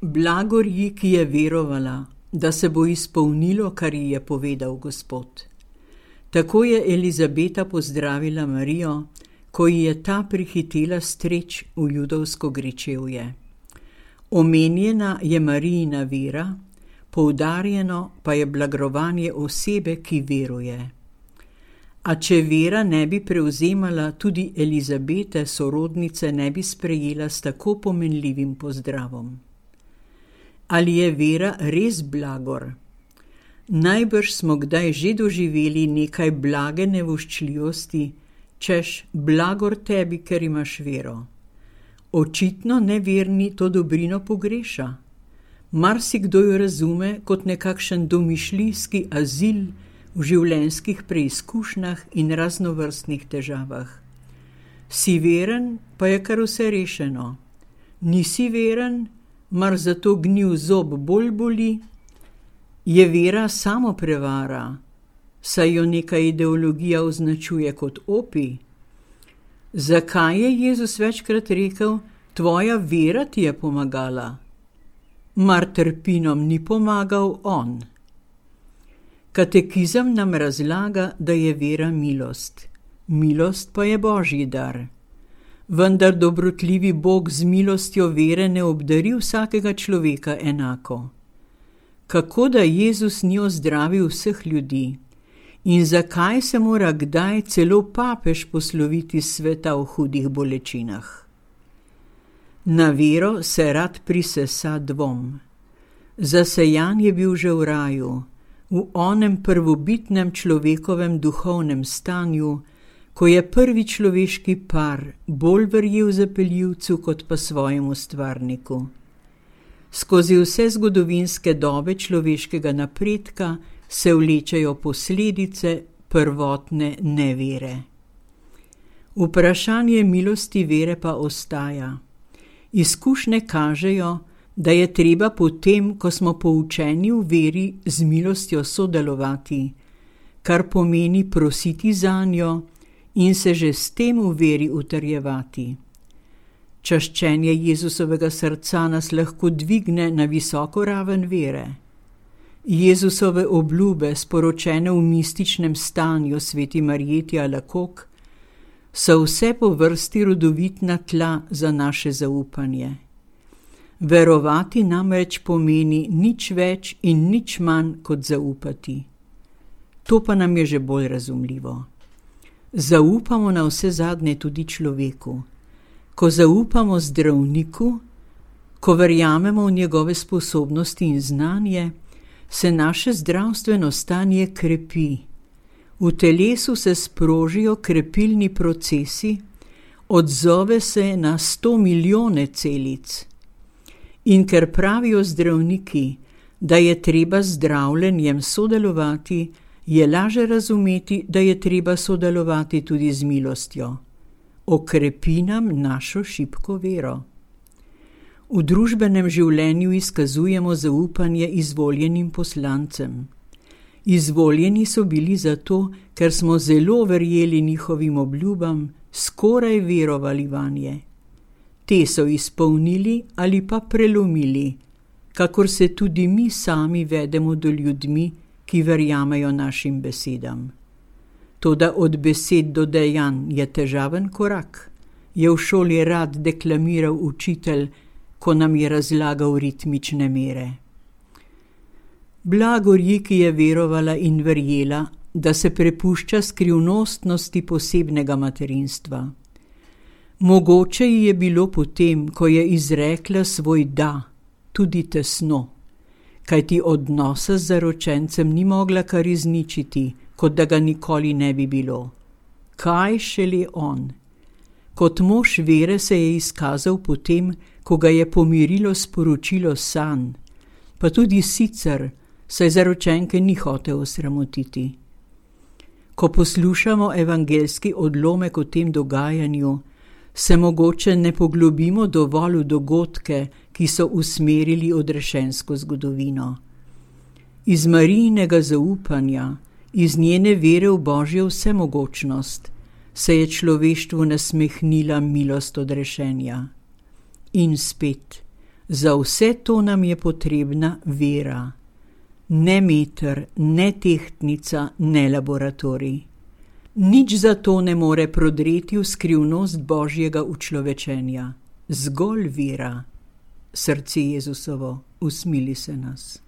Blagor ji, ki je verovala, da se bo izpolnilo, kar ji je povedal Gospod. Tako je Elizabeta pozdravila Marijo, ko ji je ta prihitela streč v judovsko gričevje. Omenjena je Marijina vera, poudarjeno pa je blagrovanje osebe, ki veruje. A če vera ne bi prevzemala, tudi Elizabete, sorodnice, ne bi sprejela s tako pomenljivim pozdravom. Ali je vera res blagor? Najbrž smo kdaj že doživeli nekaj blage nevoščljivosti, češ blagor tebi, ker imaš vero. Očitno neverni to dobrino pogreša. Marsikdo jo razume kot nekakšen domišljijski azil v življenjskih preizkušnjah in raznovrstnih težavah. Si veren, pa je kar vse rešeno. Nisi veren, mar zato gnil zob bolj boli? Je vera samo prevara, saj jo neka ideologija označuje kot opij? Zakaj je Jezus večkrat rekel, tvoja vera ti je pomagala? Mar trpinom ni pomagal on? Katekizem nam razlaga, da je vera milost. Milost pa je Božji dar. Vendar dobrotljivi Bog z milostjo vere ne obdari vsakega človeka enako. Kako da Jezus ni ozdravil vseh ljudi? In zakaj se mora kdaj celo papež posloviti sveta v hudih bolečinah? Na vero se rad prisesa dvom. Zasejan je bil že v raju, v onem prvobitnem človekovem duhovnem stanju, ko je prvi človeški par bolj verjel zapeljivcu kot pa svojemu stvarniku. Skozi vse zgodovinske dobe človeškega napredka se vlečejo posledice prvotne nevere. Vprašanje milosti vere pa ostaja. Izkušnje kažejo, da je treba potem, ko smo poučeni v veri, z milostjo sodelovati, kar pomeni prositi zanjo in se že s tem v veri utrjevati. Čaščenje Jezusovega srca nas lahko dvigne na visoko raven vere. Jezusove obljube, sporočene v mističnem stanju sveti Marjeti Alakok, so vse po vrsti rodovitna tla za naše zaupanje. Verovati namreč pomeni nič več in nič manj kot zaupati. To pa nam je že bolj razumljivo. Zaupamo na vse zadnje tudi človeku. Ko zaupamo zdravniku, ko verjamemo v njegove sposobnosti in znanje, se naše zdravstveno stanje krepi. V telesu se sprožijo krepilni procesi, odzove se na 100 milijone celic. In ker pravijo zdravniki, da je treba z zdravljenjem sodelovati, je laže razumeti, da je treba sodelovati tudi z milostjo. Okrepi nam našo šibko vero. V družbenem življenju izkazujemo zaupanje izvoljenim poslancem. Izvoljeni so bili zato, ker smo zelo verjeli njihovim obljubam, skoraj verovali vanje. Te so izpolnili ali pa prelomili, kakor se tudi mi sami vedemo do ljudmi, ki verjamejo našim besedam. Toda od besed do dejanj je težaven korak, je v šoli rad deklamiral učitelj, ko nam je razlagal ritmične mere. Blagor ji, ki je verovala in verjela, da se prepušča skrivnostnosti posebnega materinstva. Mogoče ji je bilo potem, ko je izrekla svoj da, tudi tesno, kajti odnosa z zaročencem ni mogla kar izničiti, kot da ga nikoli ne bi bilo. Kaj šele on? Kot mož vere se je izkazal potem, ko ga je pomirilo sporočilo sanj, pa tudi sicer, saj zaročenke ni hotel osramotiti. Ko poslušamo evangeljski odlomek o tem dogajanju, se mogoče ne poglobimo dovolj v dogodke, ki so usmerili odrešensko zgodovino. Iz Marijinega zaupanja, iz njene vere v Božjo vsemogočnost, se je človeštvu nasmehnila milost odrešenja. In spet, Za vse to nam je potrebna vera. Ne meter, ne tehtnica, ne laboratorij. Nič za to ne more prodreti v skrivnost Božjega učlovečenja. Zgolj vera. Srce Jezusovo, usmili se nas.